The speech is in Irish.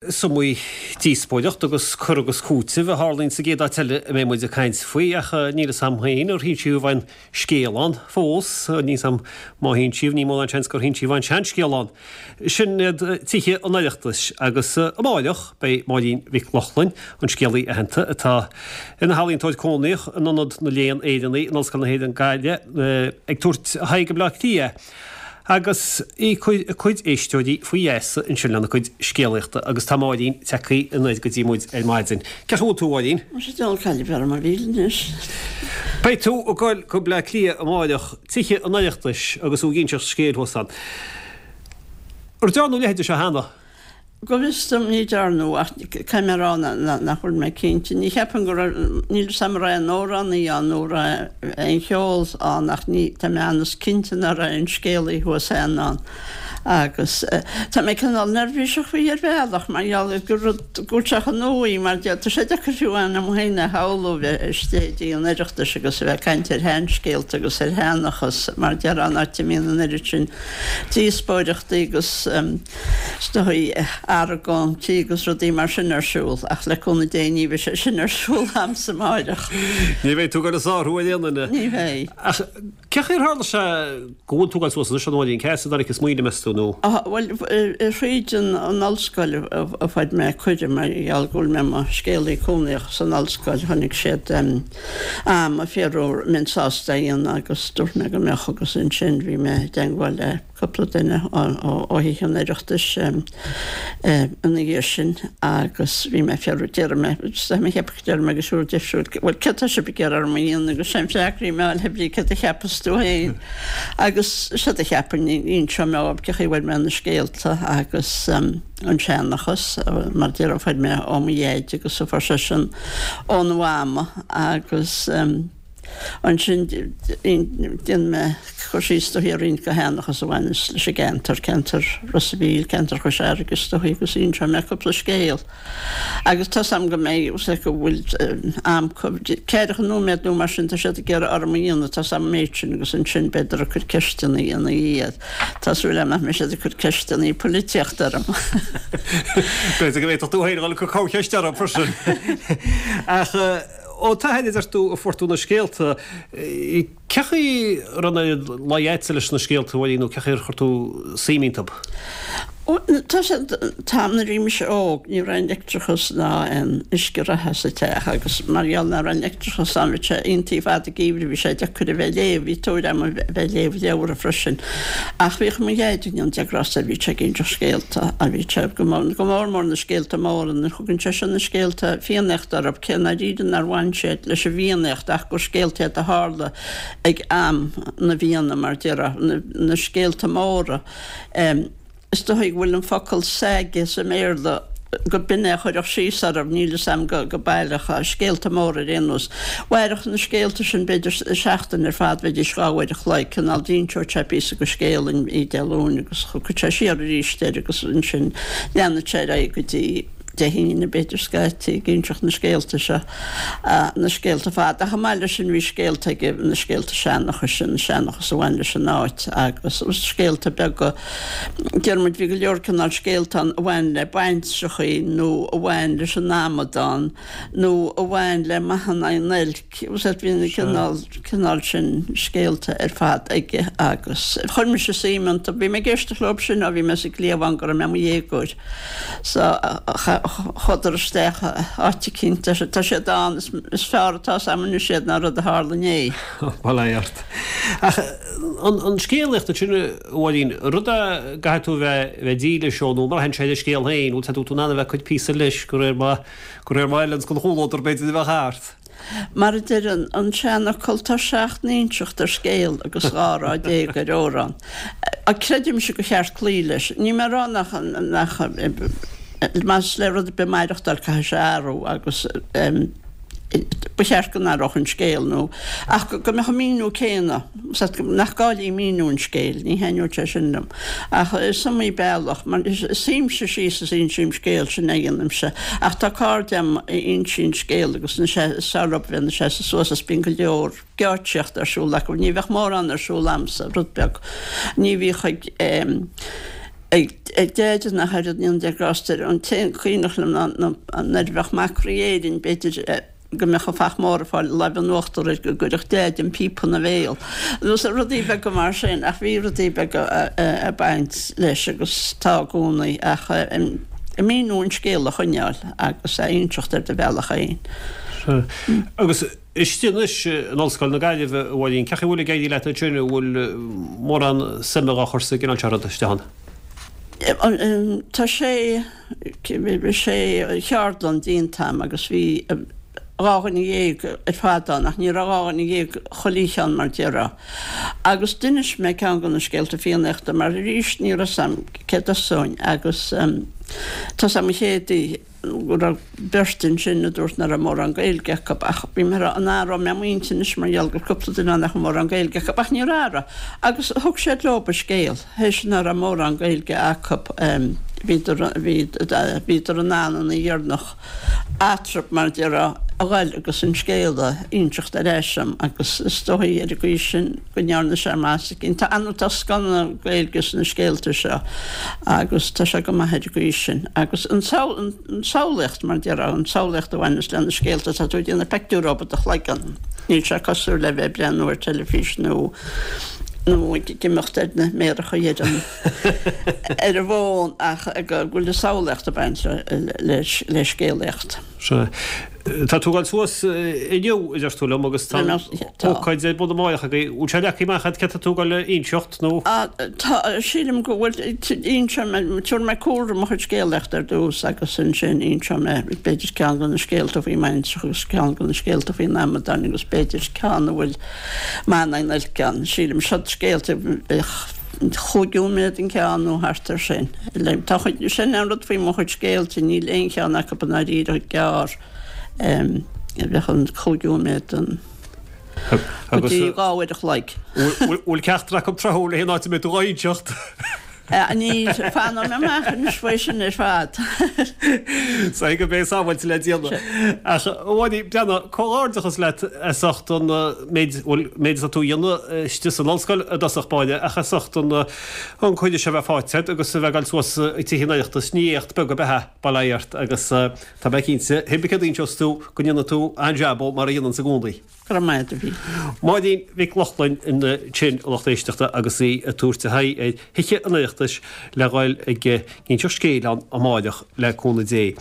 Is iomaí díospóireacht agus cur agus cúiteamh a tharlaíonn sa gcéad áit eile a mbeidh muid ag caint faoi, ach níl fhios a'm féin ar hinsíodh aon scéal ann fós. Níl fhios a'm má hinsíodh, ní mó ná an seans gur hinsíodh aon seanscéal ann. Sin iad tithe an Oireachtais agus amáireach beidh Máirín Mhic Lochlainn, an scéalaí aitheanta atá ina healaíontóir cónaíoch in Ionad na Léann Éireannaí in Ollscoil na hÉireann Gaillimh, ag tabhairt a haghaidh go Bleá Cliath. Agus í ag cur a cuid éisteoirí faoi gheasa ansin lena cuid scéalaíochta agus tá Máirín tagtha anoir go dtí muid ar maidin. Cén chaoi a bhfuil tú, a Mháirín? Muise diabhal cailleadh orm a mhíle anois. Beidh tú ag goil go Bleá Cliath amáireach, tithe an Oireachtais agus tú ag inseacht scéil thuas ann. Ar dearnadh a leithéid de seo cheana? Go bhfios dom ní dearnadh ach caithfidh mé a rá nach bhfuil mé cinnte. Ní cheapaim go raibh, níl fhios a'm an raibh aon amhránaí ann nó an raibh aon cheol ann ach ní, tá mé an-chinnte nach raibh aon scéalaí thuas cheana ann. Agus tá mé cineál neirbhíseach faoi ar bhealach mar gheall gur rud, go bhfuil sé chomh nua mar tá sé deacair fiú amháin dom féin a shamhlú bheith istigh i dTigh an Oireachtais agus a bheith ag caint ar sheanscéalta agus ar sheanchas mar déarfá an áit a mbíonn an oiread sin díospóireachtaí agus Is dóigh, argóintí agus rudaí mar sin ar siúl, ach le cúnamh Dé ní bheidh sé sin ar siúl a'msa amáireach. Ní bheidh tú ag goil ag sárú ar aon duine. Ní bheidh. Ach cén chaoi ar tharla sé go bhfuil tú ag goil suas anois, a Mháirín, cé as a dtáinig an smaoineamh, meas tú, nó? Bhuel, thríd an ollscoil a fuair mé cuireadh mar gheall go bhfuil mé i mo scéalaí cónaíoch san ollscoil, chonaic siad a'm ag fiafraí an mbeinn sásta é a dhéanamh agus dúirt mé go mbeadh agus ansin bhí mé i dteangmháil le cúpla duine ó Thithe an Oireachtais ina dhiaidh sin agus bhí mé ag fiafraí, déarfaidh mé, tá mé ag ceapadh go déarfaidh mé go siúr deifriúil, bhuel céard tá sibh ag iarraidh orm a dhéanamh agus sé an freagra a bhí mé a fháil hé brí céard a cheapas tú féin agus séard a cheapfainn, inseoidh mé dhóibh cén chaoi a bhfuair mé na scéalta agus an seanchas mar déarfá a fuair mé ó mo dhaid agus a fuair seisean óna mhama agus. Ansin dhein mé cur síos is dóichí ar roinnt de sheanchas a bhaineas leis an gceantar, ceantar Ros a' Mhíl, ceantar Chois Fharraige is dóichí agus inseoidh mé cúpla scéal. Agus tá's a'm go mbeidh, go bhfuil am ceathracha nóiméad nó mar sin tá siad ag iarraidh orm a dhéanamh, tá's a'm an méid sin agus ansin beidh ag cur ceisteanna ina dhiaidh. Tá súil a'm nach mbeidh siad ag cur ceisteanna polaitíochta orm. B'fhéidir go bhféadfadh tú féin a dhul ag cur corrcheist orthu freisin. Ach. Ó t'athair a deir tú a fuair tú na scéalta. Cén chaoi a raibh an oiread luí a'dsa leis na scéalta, a Mháirín, nó cén chaoi ar chuir tú suim iontu? Tá sé, an t-am nuair a bhí mise óg, ní raibh aon leictreachas ná aon uisce reatha sa teach agus mar gheall nach raibh aon leictreachas ann bhí sé iontach fada geimhridh, bhí sé deacair a bheith ag léamh, bhí tóir agam a bheith ag léamh leabhra freisin. Ach bhíodh mo dhaid, go ndéana Dia grásta air, bhí sé ag inseacht scéalta, bhí sé go mór mór na scéalta móra, nuair a thugann seisean na scéalta Fiannaíochta orthu, cé ndáiríre nár bhain siad leis an bhFiannaíocht ach gur scéalta iad a tharla ag am na bhFianna, mar déarfá, na scéalta móra. Is dóigh go bhfuil an focal saga sa mBéarla, go b'in é a chuirfeadh síos orthu, níl fhios a'm go baileach, scéalta móra ar aon nós. Mhairfeadh na scéalta sin b'fhéidir seachtain ar fad, bheidís 2 uair a chloig, cineál d'inseodh sé píosa de scéal oíche Dé Luain agus thiocfadh sé siar arís air agus ansin leanfadh sé ar aghaidh go dtí Dé hAoine, b'fhéidir, scaití, ag inseacht na scéalta seo, na scéalta fada. Ach chomh maith leis sin bhí scéalta aige, na scéalta seanchais sin, seanchas a bhain leis an áit agus scéalta beaga, deir muid, bhí go leor cineál scéalta ann a bhain le baintreachaí nó a bhain leis an amadán nó a bhain le maith in aghaidh an oilc. Bhí na cineál, cineál sin scéalta ar fad aige agus chuir mise suim iontu. Bhí mé ag éisteacht leo sin ó bhí mé sa gcliabhán go raibh mé i mo dhéagóir. So chuadar isteach áit eicínt, tá siad ann, is fearr atá 's a'm anois iad ná rud a tharla inné. Bail ó Dhia ort. Ach an scéalaíocht ansin, a Mháirín, rud a gcaithfidh tú a bheith dílis dó nó mar a théann sé ar an scéal féin, bhfuil tú in ann a bheith ag cur píosa leis de réir mar, de réir mar a fheileanns don chomhluadar b'fhéidir a bheadh thart? Mar a deir an seanfhocal, tá 7 n-inseacht ar scéal agus 12 rá ar amhrán. Creidimse gur cheart cloí leis. Níl mé ag rá nach, nach, más le rud ar bith maireachtáil caithfidh sé athrú agus ba cheart go n-athródh an scéal nó, ach go mbeadh an míniú céanna, nach gá léi míniú an scéil, ní thaitneodh sé sin liom. Ach is iomaí bealach, mar suímse síos is insím scéal, sin é a dhéanaimse. Ach tá cairde agam a insíonn scéal agus is fearr leo bheith ina seasamh suas is bíonn go leor geáitsíochta ar siúl acu. Ní bheadh mórán ar siúl a'msa, rud beag. Ní bhíodh ag. Ag Deaide nach oiread ní an de grást air. An t-aon cuimhneach liom ná nuair a bheadh Mac Rí Éirinn, b'fhéidir go mbeadh an fach mór ag fáil láimh in uachtar air go gcuirfeadh Deaide an píopa ina bhéal. Nó rudaí beaga mar sin ach bhí rudaí beaga ag baint leis agus tá i gcónaí ach míniú an scéal a choinneáil agus a inseacht ar do bhealach féin. Sea. Agus istigh anois in Ollscoil na Gaillimhe, a Mháirín, cén chaoi a bhfuil ag éirí leat ansin, an bhfuil mórán suime dhá chur sa gcineál seo ruda istigh ann? Tá sé, sé cheardlann déanta a'm agus bhí 12 dhuine ar fad ann ach ní raibh 12 dhuine chuile oíche ann mar déarfá. Agus d'inis mé ceann de na scéalta Fiannaíochta mar arís ní raibh 's a'm cé dtosóinn agus tá 's a'm an chéad oíche, go raibh beirt ansin a dúirt nach raibh mórán Gaeilge acu ach bhí mé ag rá an athróidh mé m'intinn anois mar gheall go raibh cúpla duine ann nach raibh mórán Gaeilge acu ach níor athraigh agus thug siad leo an scéal théis nach raibh mórán Gaeilge acu bhíodar bhíodar in ann an oíche dheireanach eatarthu mar a déarfá a ghoil agus an scéal a inseacht ar ais dom agus is dóigh ar an gcaoi sin go ndearna sé maitheas éicint. Tá an tá scoth na Gaeilge sna scéalta seo agus tá sé go maith ar an gcaoi sin. Agus an tsamhlaíocht, mar a déarfá, an tsamhlaíocht a bhaineas le na scéalta, tá tú ag déanamh pictiúr dóibh i do chloigeann. Níl sé cosúil le bheith ag breathnú ar teilifís nó nó ag imeacht ar na méaracha ar an ar an bhfón ach go bhfuil an samhlaíocht ag baint le le scéalaíocht. Sea. Tá tú ag dul suas inniu, a deir tú liom, agus tá ócáid ar bun amáireach agaibh. Bhfuil sé leagtha amach agat céard tá tú ag dul a inseacht nó? Tá, sílim go bhfuil. Inseoidh mé, tabharfaidh mé cúlra mo chuid scéalaíochta ar dtús agus ansin inseoidh mé b'fhéidir ceann de na scéalta faoi Mhainistreach agus ceann de na scéalta faoin amadán agus b'fhéidir ceann a bhfuil Manannán oilc ann. Sílim, siod scéalta bheadh chúig nóiméad an ceann nó thart air sin. Tá chuid, sin an rud faoi mo chuid scéalta, níl aon cheann acu i ndáiríre gearr. Bheadh an chúig nóiméad an go dtí 2 uair a chloig. Bhfuil ceachtar acu tráthúil le haon áit a mbeidh tú dhá inseacht? Níl, fanfaidh mé amach anois faoi sin ar fad. Sea, go mbeidh sábháilte le déanamh. Ach, a Mháirín, breathnaigh, comhghairdeachas leat as ucht an méid, bhuel, méid atá tú a dhéanamh istigh san ollscoil i dtosach báire, ach as ucht an an cuireadh seo a bheith faighte agat agus a bheith ag dul suas ag Tithe an Oireachtais, ní éacht beag ab ea é, bail ó Dhia ort, agus tá mé cinnte, pé bith céard a inseos tú, go ndéanfaidh tú an-jab mar a dhéananns i gcónaí. Go raibh maith agat, a Mhíchíl. Máirín Mhic Lochlainn ansin, a lucht éisteachta, agus í ag tabhairt a haghaidh ar Thithe an Oireachtais le dhul ag inseacht scéil ann amáireach le cúnamh Dé.